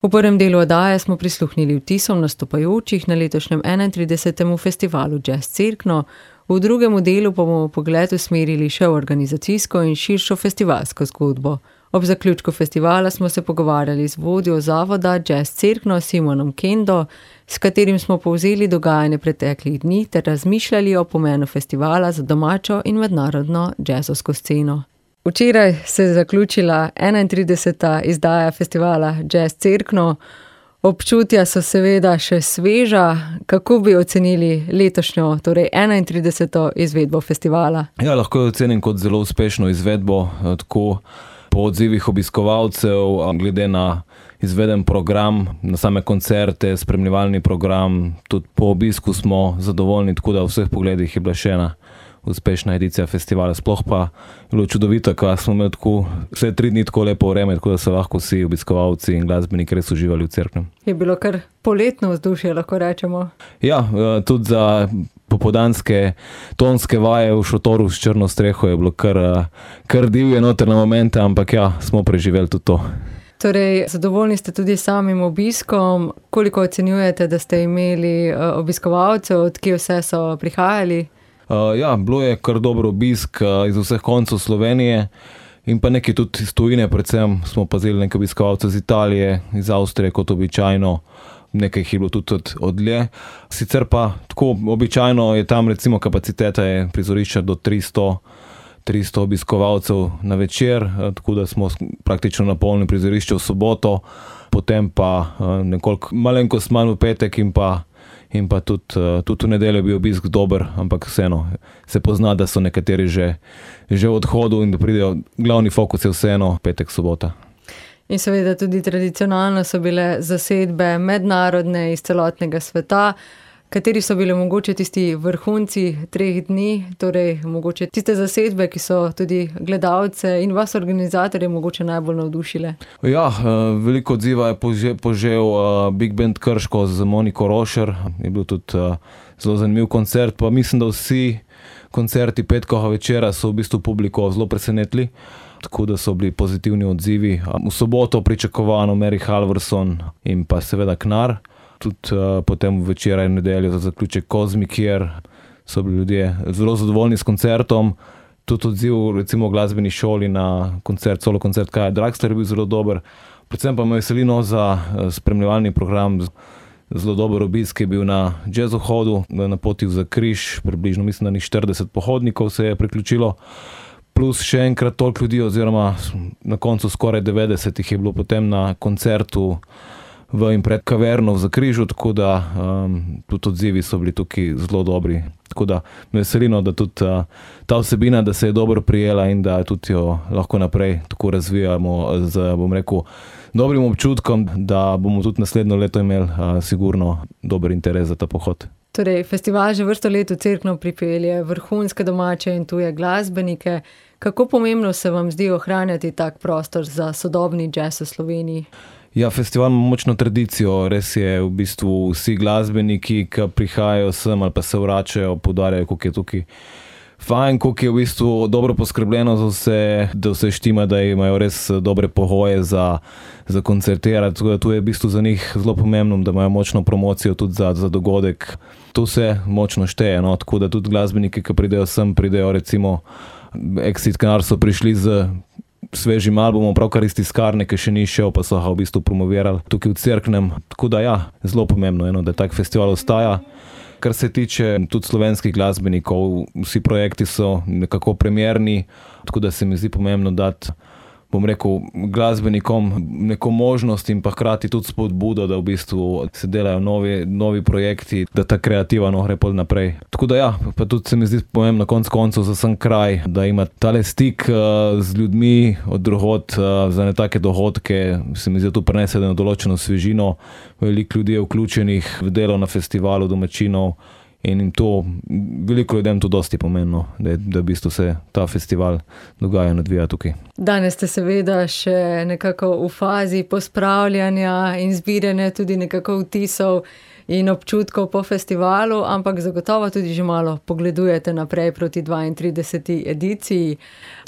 V prvem delu oddaje smo prisluhnili vtisom nastopajočih na letošnjem 31. festivalu Jazz Cerkno, v drugem delu pa bomo pogled usmerili še v organizacijsko in širšo festivalsko zgodbo. Ob zaključku festivala smo se pogovarjali z vodjo zavoda Jazz Cerkno Simonom Kendo, s katerim smo povzeli dogajanje preteklih dni ter razmišljali o pomenu festivala za domačo in mednarodno jazzovsko sceno. Včeraj se je zaključila 31. izdaja festivala Jazz Cerkno. Občutja so seveda še sveža. Kako bi ocenili letošnjo, torej 31. izvedbo festivala? Ja, lahko jo ocenim kot zelo uspešno izvedbo, tako po odzivih obiskovalcev, glede na izveden program, na same koncerte, spremljevalni program. Tudi po obisku smo zadovoljni, tako da v vseh pogledih je bila še ena uspešna edicija festivala. Sploh pa je bilo čudovito, ko smo imeli tako vse 3 dni tako lepo vreme, tako da so lahko vsi obiskovalci in glasbeniki res uživali v Cerknem. Je bilo kar poletno vzdušje, lahko rečemo. Ja, tudi za popoldanske tonske vaje v šotoru s črno streho je bilo kar divje noter na momente, ampak ja, smo preživeli tudi to. Torej, zadovoljni ste tudi samim obiskom. Koliko ocenjujete, da ste imeli obiskovalcev, od kje vse so prihajali? Ja, bilo je kar dober obisk iz vseh koncev Slovenije in pa nekaj tudi iz tujine, predvsem smo pazili nekaj obiskovalcev iz Italije, iz Avstrije kot običajno, nekaj jih je bilo tudi odlje. Sicer pa tako običajno je tam recimo kapaciteta je prizorišča do 300 obiskovalcev na večer, tako da smo praktično napolnili prizorišče v soboto, potem pa nekoliko malenkost manj v petek in pa tudi v nedeljo je bil obisk dober, ampak vseeno se pozna, da so nekateri že v odhodu in da pridejo, glavni fokus je vseeno petek, sobota. In seveda tudi tradicionalno so bile zasedbe mednarodne iz celotnega sveta. Kateri so bile mogoče tisti vrhunci 3 dni, torej mogoče tiste zasedbe, ki so tudi gledalce in vas organizatorje mogoče najbolj navdušile? Ja, veliko odziva je požel Big Band Krško z Moniko Rošer, je bil tudi zelo zanimiv koncert, pa mislim, da vsi koncerti petkovega večera so v bistvu publiko zelo presenetili, tako da so bili pozitivni odzivi. V soboto pričakovano Mary Halvorson in pa seveda Knar. Tudi potem včeraj in nedeljo za zaključek Kozmi, kjer so bili ljudje zelo zadovoljni s koncertom. Tudi odziv recimo v glasbeni šoli na koncert, solo koncert Kaja Draxler je bil zelo dober. Predvsem pa me veseli za spremljevalni program. Zelo dober obisk je bil na jazzohodu, na poti za Križ, približno mislim, da 40 pohodnikov se je priključilo. Plus še enkrat toliko ljudi, oziroma na koncu skoraj 90 jih je bilo potem na koncertu v in pred kaverno v Zakrižu, tako da tudi odzivi so bili tukaj zelo dobri. Tako da me veseli, da tudi ta vsebina, da se je dobro prijela in da tudi jo lahko naprej tako razvijamo z, bom rekel, dobrim občutkom, da bomo tudi naslednjo leto imeli sigurno dober interes za ta pohod. Torej, festival že vrsto let v Cerkno pripelje vrhunske domače in tuje glasbenike. Kako pomembno se vam zdi ohranjati tak prostor za sodobni jazz v Sloveniji? Ja, festival ima močno tradicijo, res je v bistvu vsi glasbeniki, ki prihajajo sem ali pa se vračajo, poudarjajo, koliko je tukaj fajn, koliko je v bistvu dobro poskrbljeno za vse, da vse štima, da imajo res dobre pogoje za koncertirati. Tako da tu je v bistvu za njih zelo pomembno, da imajo močno promocijo tudi za dogodek. To vse močno šteje, no? Tako da tudi glasbeniki, ki pridejo sem, pridejo recimo Exit Kanar so prišli z svežim albumom, pravkar iz tiskarne, ki še ni šel, pa so ga v bistvu promovirali tukaj v Cerknem. Tako da ja, zelo pomembno, da tak festival ostaja. Kar se tiče tudi slovenskih glasbenikov, vsi projekti so nekako premierni, tako da se mi zdi pomembno dati, bom rekel, glasbenikom neko možnost in pa hkrati tudi spodbudo, da v bistvu se delajo novi projekti, da ta kreativa gre pol naprej. Tako da ja, pa tudi se mi zdi pomembno konec koncev za sam kraj, da ima tale stik z ljudmi od drugod za take dogodke, se mi zdi, da tu prinese določeno svežino, veliko ljudi je vključenih v delo na festivalu domačinov in to veliko ljudem to dosti pomembno, da v bistvu se ta festival dogaja in odvija tukaj. Danes ste seveda še nekako v fazi pospravljanja in zbiranja tudi nekako vtisov in občutkov po festivalu, ampak zagotovo tudi že malo pogledujete naprej proti 32. ediciji.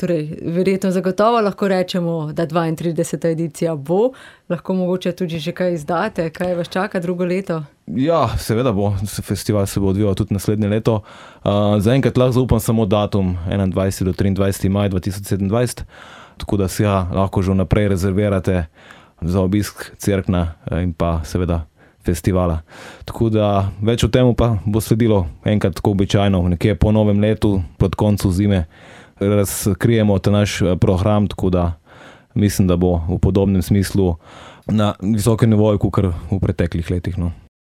Torej, verjetno zagotovo lahko rečemo, da 32. edicija bo. Lahko mogoče tudi že kaj izdate, kaj vas čaka drugo leto? Ja, seveda bo. Festival se bo odvijal tudi naslednje leto. Zaenkrat lahko zaupam samo datum 21. do 23. maj 2027, tako da si lahko že vnaprej rezervirate za obisk Cerkna in pa seveda festivala. Tako da več o tem pa bo sledilo enkrat tako običajno, nekje po novem letu, pod koncu zime, razkrijemo ta naš program, tako da mislim, da bo v podobnem smislu na visokem nivoju, kakor v preteklih letih. No.